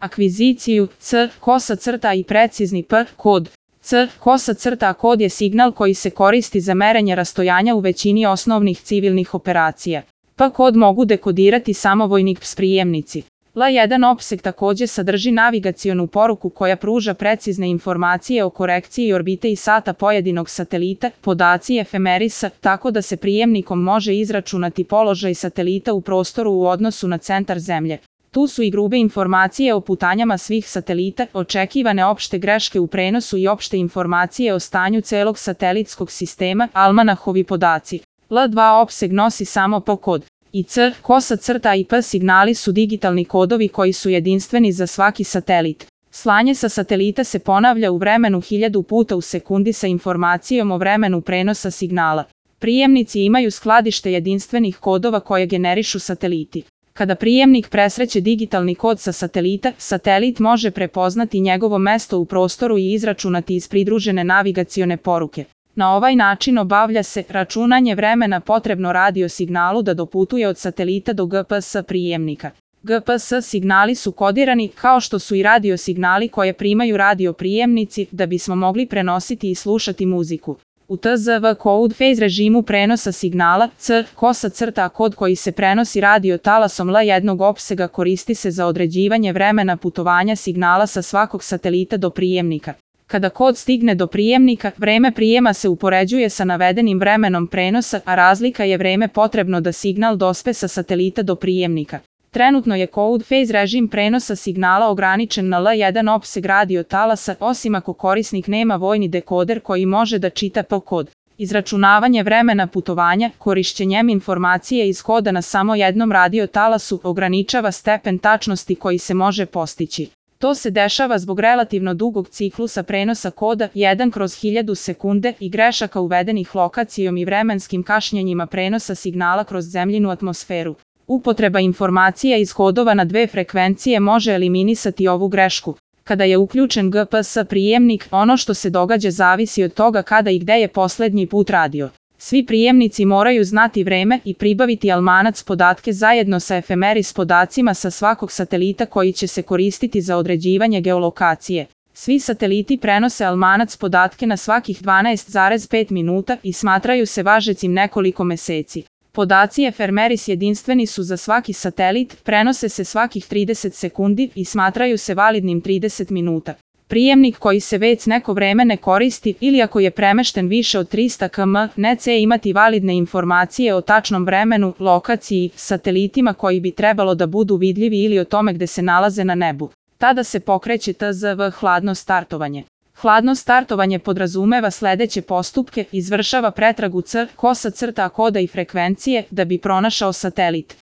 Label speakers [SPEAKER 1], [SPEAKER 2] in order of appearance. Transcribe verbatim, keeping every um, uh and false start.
[SPEAKER 1] akviziciju, C, kosa crta i precizni P, kod. C, kosa crta kod je signal koji se koristi za merenje rastojanja u većini osnovnih civilnih operacija. P kod mogu dekodirati samo vojnik prijemnici. L jedan opseg takođe sadrži navigacionu poruku koja pruža precizne informacije o korekciji orbite i sata pojedinog satelita, podaci efemerisa, tako da se prijemnikom može izračunati položaj satelita u prostoru u odnosu na centar Zemlje. Tu su i grube informacije o putanjama svih satelita, očekivane opšte greške u prenosu i opšte informacije o stanju celog satelitskog sistema, almanahovi podaci. L dva opseg nosi samo P kod. I C, kosa crta i P signali su digitalni kodovi koji su jedinstveni za svaki satelit. Slanje sa satelita se ponavlja u vremenu hiljadu puta u sekundi sa informacijom o vremenu prenosa signala. Prijemnici imaju skladište jedinstvenih kodova koje generišu sateliti. Kada prijemnik presreće digitalni kod sa satelita, satelit može prepoznati njegovo mesto u prostoru i izračunati iz pridružene navigacione poruke. Na ovaj način obavlja se računanje vremena potrebno radio signalu da doputuje od satelita do G P S prijemnika. G P S signali su kodirani kao što su i radio signali koje primaju radio prijemnici da bismo mogli prenositi i slušati muziku. U T Z V code phase režimu prenosa signala, C, kosa crta kod koji se prenosi radio talasom L jednog opsega koristi se za određivanje vremena putovanja signala sa svakog satelita do prijemnika. Kada kod stigne do prijemnika, vreme prijema se upoređuje sa navedenim vremenom prenosa, a razlika je vreme potrebno da signal dospe sa satelita do prijemnika. Trenutno je code phase režim prenosa signala ograničen na L jedan opseg radio talasa, osim ako korisnik nema vojni dekoder koji može da čita P kod. Izračunavanje vremena putovanja, korišćenjem informacije iz koda na samo jednom radio talasu, ograničava stepen tačnosti koji se može postići. To se dešava zbog relativno dugog ciklusa prenosa koda jedan kroz hiljadu sekunde i grešaka uvedenih lokacijom i vremenskim kašnjenjima prenosa signala kroz zemljinu atmosferu. Upotreba informacija iz kodova na dve frekvencije može eliminisati ovu grešku. Kada je uključen G P S prijemnik, ono što se događa zavisi od toga kada i gde je poslednji put radio. Svi prijemnici moraju znati vreme i pribaviti almanac podatke zajedno sa efemeris podacima sa svakog satelita koji će se koristiti za određivanje geolokacije. Svi sateliti prenose almanac podatke na svakih dvanaest zarez pet minuta i smatraju se važećim nekoliko meseci. Podaci efemeris jedinstveni su za svaki satelit, prenose se svakih trideset sekundi i smatraju se validnim trideset minuta. Prijemnik koji se već neko vreme ne koristi ili ako je premešten više od trista kilometara neće imati validne informacije o tačnom vremenu, lokaciji, satelitima koji bi trebalo da budu vidljivi ili o tome gde se nalaze na nebu. Tada se pokreće T Z V hladno startovanje. Hladno startovanje podrazumeva sledeće postupke, izvršava pretragu C, kosa crta koda i frekvencije da bi pronašao satelit.